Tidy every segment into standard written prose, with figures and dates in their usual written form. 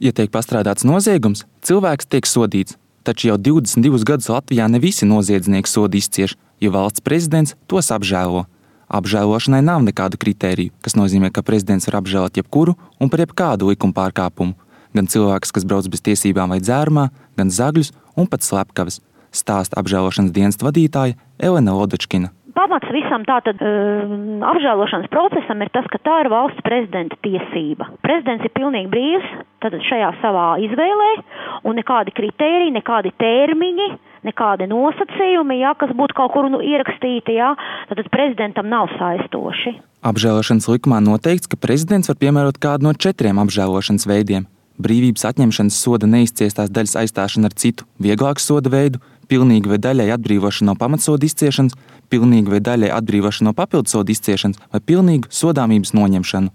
Ja tiek pastrādāts noziegums, cilvēks tiek sodīts, taču jau 22 gadus Latvijā ne visi noziedznieki sodu izcieš, jo valsts prezidents tos apžēlo. Apžēlošanai nav nekādu kritēriju, kas nozīmē, ka prezidents var apžēlot jebkuru un par jebkādu likuma pārkāpumu. Gan cilvēks, kas brauc bez tiesībām vai dzērumā, gan zagļus un pat slepkavas, stāsta apžēlošanas dienesta vadītāja Elena Lodočkina. Pamats visam tātad apžēlošanas procesam ir tas, ka tā ir valsts prezidenta tiesība. Prezidents ir pilnīgi brīvs tātad šajā savā izvēlē un nekādi kritēriji, nekādi termiņi, nekādi nosacījumi, kas būtu kaut kur ierakstīti, tātad prezidentam nav saistoši. Apžēlošanas likumā noteikts, ka prezidents var piemērot kādu no 4 apžēlošanas veidiem. Brīvības atņemšanas soda neizciestās daļas aizstāšana ar citu, vieglāku soda veidu, pilnīgi vai daļai atbrīvošana no pamatsoda izciešanas, pilnīgi vai daļai atbrīvošana no papildsoda izciešanas vai pilnīgu sodāmības noņemšanu.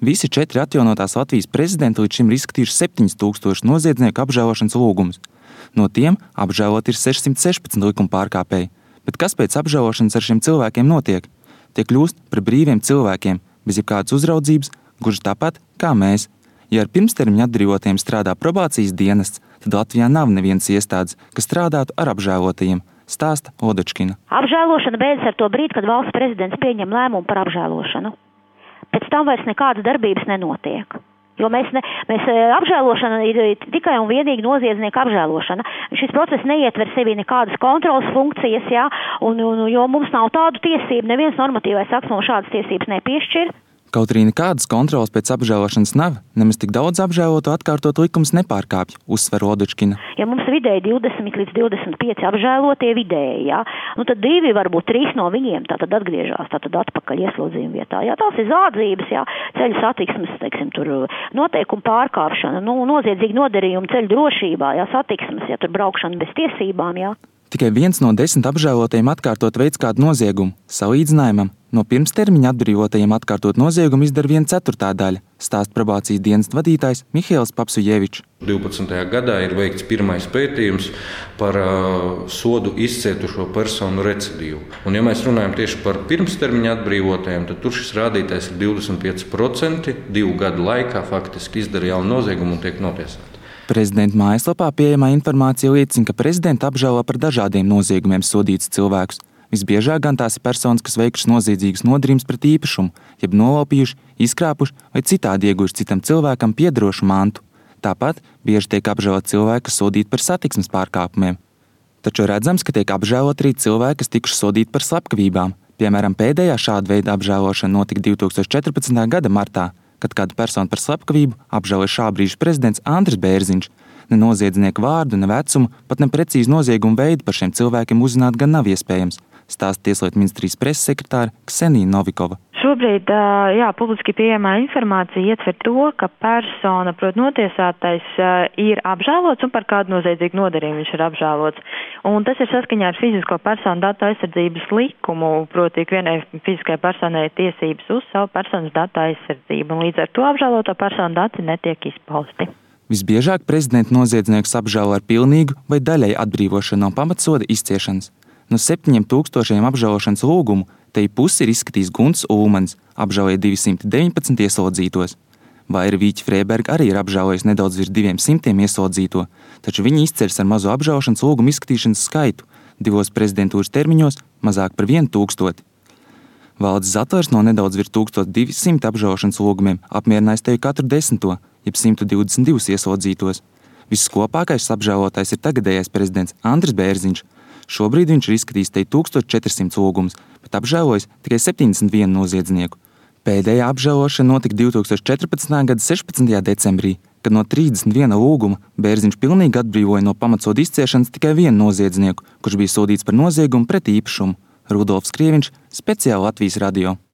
Visi 4 atjaunotās Latvijas prezidenti līdz šim ir izskatījuši 7000 noziedznieku apžēlošanas lūgumus. No tiem apžēlot ir 616 likuma pārkāpēji. Bet kas pēc apžēlošanas ar šiem cilvēkiem notiek? Tie kļūst par brīviem cilvēkiem, bez jebkādas uzraudzības, gluži tāpat kā mēs. Ja ar pirmstermiņa atbrīvotiem strādā probācijas dienests, tad Latvijā nav nevienas iestādes, kas strādātu ar apžēlotajiem, stāsta Lodočkina. Apžēlošana beidzas ar to brīdi, kad valsts prezidents pieņem lēmumu par apžēlošanu. Pēc tam vairs nekādas darbības nenotiek. Jo mēs apžēlošana ir tikai un vienīgi noziedznieka apžēlošana. Šis process neietver sevi nekādas kontrolas funkcijas, jo mums nav tādu tiesību, neviens normatīvais akts mums šādas tiesības nepiešķir. Kaut arī nekādas kontrolas pēc apžēlošanas nav, nemaz tik daudz apžēlotu atkārtot likums nepārkāpj, uzsver Lodočkina. Ja mums vidēji 20 līdz 25 apžēlotie vidēji, tad 2, varbūt 3 no viņiem tātad atgriežās atpakaļ ieslodzījuma vietā. Tās ir zādzības, ceļu satiksmes, tur noteikumu pārkāpšana, noziedzīgi nodarījumi ceļu drošībā, satiksmes, tur braukšana bez tiesībām, Tikai 1 no 10 apžēlotajiem atkārtot veids kādu noziegumu. Salīdzinājumam, no pirmstermiņa atbrīvotajiem atkārtot noziegumu izdara 1/4 daļa, stāsta probācijas dienesta vadītājs Mihails Papsujevičs. 12. gadā ir veikts pirmais pētījums par sodu izcietušo personu recidīvu. Un, ja mēs runājam tieši par pirmstermiņa atbrīvotajiem, tad tur šis rādītājs ir 25%, 2 gadu laikā faktiski izdara jaunu noziegumu un tiek notiesāti. Prezidenta mājaslapā pieejamā informācija liecina, ka prezidenta apžēlo par dažādiem noziegumiem sodītus cilvēkus. Visbiežāk gan tās ir personas, kas veikušas noziedzīgas nodarījumus pret īpašumu, jeb nolaupījuši, izkrāpuši vai citādi ieguvuši citam cilvēkam piederošu mantu. Tāpat bieži tiek apžēlot cilvēki, kas sodīti par satiksmes pārkāpumiem. Taču redzams, ka tiek apžēlot arī cilvēki, kas tikuši sodīti par slepkavībām. Piemēram, pēdējā šāda veida apžēlošana notika 2014. gada martā, kad kādu personu par slepkavību apžēloja šā brīža prezidents Andris Bērziņš. Ne noziedznieku vārdu, ne vecumu, pat ne precīzi noziegumu veidu par šiem cilvēkiem uzzināt gan nav iespējams, stāsta Tieslietu ministrijas preses sekretāre Ksenija Novikova. Šobrīd publiski pieejamā informācija ietver to, ka persona, proti notiesātais, ir apžēlots un par kādu noziedzīgu nodarījumu viņš ir apžēlots. Un tas ir saskaņā ar fizisko personu datu aizsardzības likumu, proti ikvienai fiziskai personai ir tiesības uz savu personas datu aizsardzību, un līdz ar to apžēloto personu dati netiek izpausti. Visbiežāk prezidenta noziedznieks apžēlo ar pilnīgu vai daļai atbrīvošanu no pamatsoda izciešanas. No 7000 apžēlošanas lūgumu te pusi ir izskatījis Gunts Ulmans, apžēloja 219 ieslodzītos. Vaira Vīķa Frēberga arī ir apžēlojis nedaudz virs 200 ieslodzīto, taču viņi izceļas ar mazo apžēlošanas lūgumu izskatīšanas skaitu, 2 prezidentūras termiņos mazāk par 1000. Valdis Zatlers no nedaudz virs 1200 apžēlošanas lūgumiem apmierinājis tevi katru 10, jeb 122 ieslodzītos. Viskopākais apžēlotais ir tagadējais prezidents Andris Bērziņš. Šobrīd viņš ir izskatījis te 1400 lūgumus, bet apžēlojis tikai 71 noziedznieku. Pēdējā apžēlošana notika 2014. gada 16. decembrī, kad no 31 lūguma Bērziņš pilnīgi atbrīvoja no pamatsoda izciešanas tikai 1 noziedznieku, kurš bija sodīts par noziegumu pret īpašumu. Rudolfs Krieviņš, speciāli Latvijas radio.